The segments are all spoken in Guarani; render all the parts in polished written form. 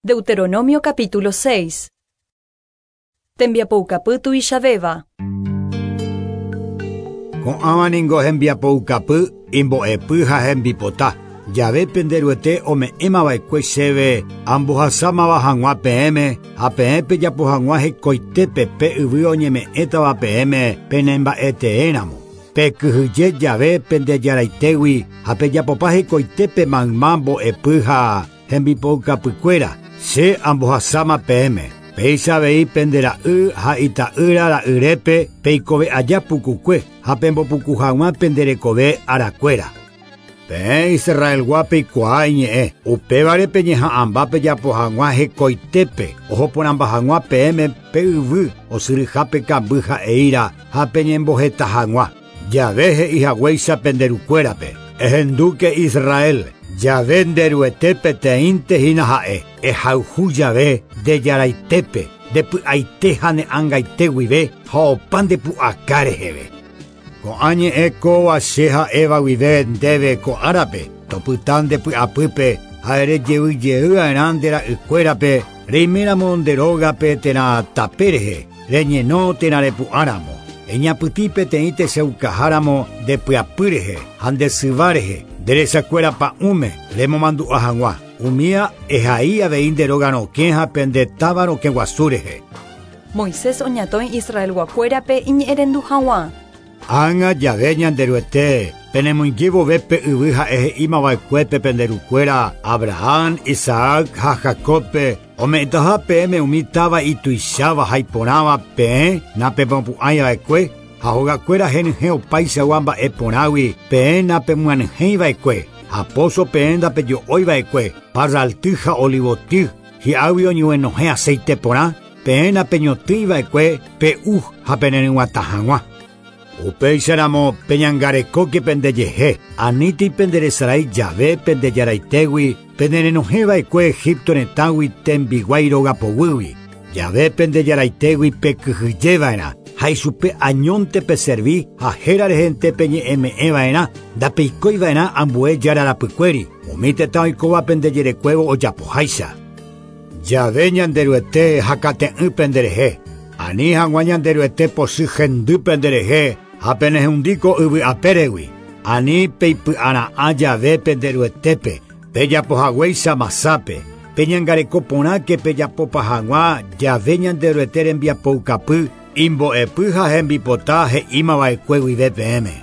Deuteronomio capítulo 6. Tembiapoukapy tuichavéva. Ko'ãva ningo hembiapoukapy, imbo'epy ha hembipota. Jave pende Ruete ome'ẽmava'ekue chéve ambohasámava hag̃ua peẽme ha peẽ pejapo hag̃ua hekoitépe pe yvy oñeme'ẽtava peẽme penemba'eteéramo. Pekyhyje jave pende jaraitégui ha pejapopa hekoitépe mayma mbo'epy ha hembipoukapykuéra. Che ambohasáma peẽme. Péicha avei pende ra'y ha ita'ýra ra'yrépe peikove aja pukukue ha pembopuku hag̃ua pende rekove arakuéra. Peẽ Israelgua peikuaa iñe'ẽ, upévare peñeha'ãmba pejapo hag̃ua hekoitépe, ohoporãmba hag̃ua peẽme pe yvy osyryhápe kamby ha'eíra ha peñemboheta hag̃ua. Jave he'i haguéicha pende rukuérape. Ehendúke Israel, Jave nde Ruete peteĩnte hína ha'e, ehayhu jave nde jaraitépe, nde py'aite ha ne ãngaite guive ha opa nde pu'aka reheve. Ko'ã ñe'ẽ kóva che ha'éva guive ndéve ko árape, topyta nde py'apýpe ha erejeyjeyva'erã nde ra'ykuérape reiméramo nde rógape térã tape rehe, reñeno térã repu'ãramo. Eñapytĩ peteĩ techaukaháramo nde pyapy rehe ha nde syva rehe, nde resakuéra pa'ũme remomandu'a hag̃ua. Umía ehai avei nde róga rokẽ ha pende táva rokẽ guasu rehe. Moisés oñatõi Israelguakuérape iñe'ẽrendu hag̃ua. Ág̃a jave Ñanderuete, penemoinge vove pe yvy ha'e he'ímava'ekuépe pende rukuéra Abraham, Isaac ha Jacobpe, ome'ẽtaha peẽme umi táva ituicháva ha iporãva peẽ napemopu'ãiva'ekue ha hogakuéra henyhẽ opaichagua mba'e porãgui peẽ napemyanyhẽiva'ekue, ha póso peẽ ndapejo'óiva'ekue, parralty ha olivoty, hi'águi oñeguenohẽ aceite porã, peẽ napeñotỹiva'ekue pe'u ha peneryg̃uatã hag̃ua. Upéicharamo peñangarekóke pendejehe, anítei penderesarái jave pende jaraitégui penerenohẽva'ekue Egipto retãgui tembiguái rogapoguýgui. Jave pende jaraitégui pekyhyjeva'erã ha ichupe añónte peservi ha héra rehente peñe'ẽme'ẽva'erã ndapeikóiva'erã ambue jára rapykuéri, umi tetã oikóva pendejerekuévo ojapoháicha. Jave Ñanderuete hakate'ỹ penderehe, ani hag̃ua Ñanderuete pochy hendy penderehe ha penehundi ko yvy apéregui. Ani peipy'ara'ã jave Penderuetépe, pejapohaguéicha Masápe, peñangareko porãke pejapopa hag̃ua jave Ñanderuete rembiapoukapy, imbo'epy ha hembipota he'ímava'ekue guive peẽme.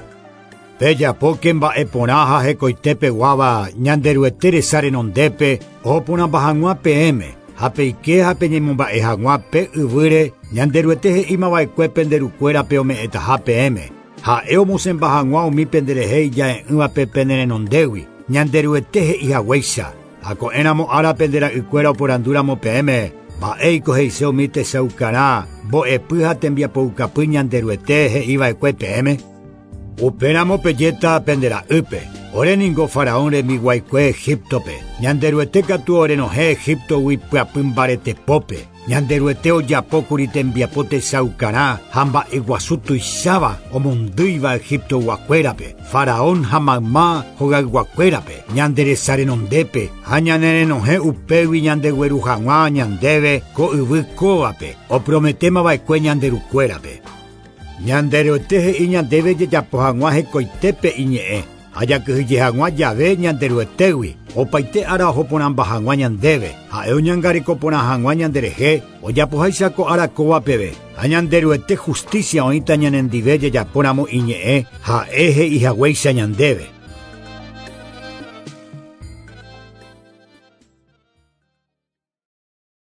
Pejapóke mba'e porã ha hekoitépeguáva Ñanderuete resa renondépe ohoporãmba hag̃ua peẽme, ha peike ha peñemomba'e hag̃ua pe yvýre Ñanderuete he'ímava'ekue pende rukuérape ome'ẽtaha peẽme. Ha'e omosẽmba hag̃ua umi penderehe ija'e'ỹvape pene renondégui, Ñanderuete he'ihaguéicha. Ha ko'ẽramo ára pende ra'ykuéra oporandúramo peẽme, mba'éiko he'ise umi techaukarã, mbo'epy ha tembiapoukapy Ñanderuete he'iva'ekue peẽme. Upéramo pejéta pende ra'ýpe, ore ningo Faraón rembiguaikue Egiptope, Ñanderuete katu orenohẽ Egiptogui pyapy mbaretepópe. Ñanderuete ojapókuri tembiapo techaukarã ha mba'eguasu tuicháva omondýiva Egiptoguakuérape, Faraón ha mayma hogayguakuérape, ñande resa renondépe ha ñanerenohẽ upégui ñandegueru hag̃ua ñandéve ko yvy kóvape, oprometémava'ekue ñande rukuérape. Ñanderuete he'i ñandéve jajapo hag̃ua hekoitépe iñe'ẽ, ha jakyhyje hag̃ua jave Ñanderuetégui, opaite ára ohoporãmba hag̃ua ñandéve, ha'e oñangareko porã hag̃ua ñanderehe, ojapoháicha ko ára kóva peve. Ha Ñanderuete justicia oĩta ñanendive jajapóramo iñe'ẽ, ha'e he'ihaguéicha ñandéve.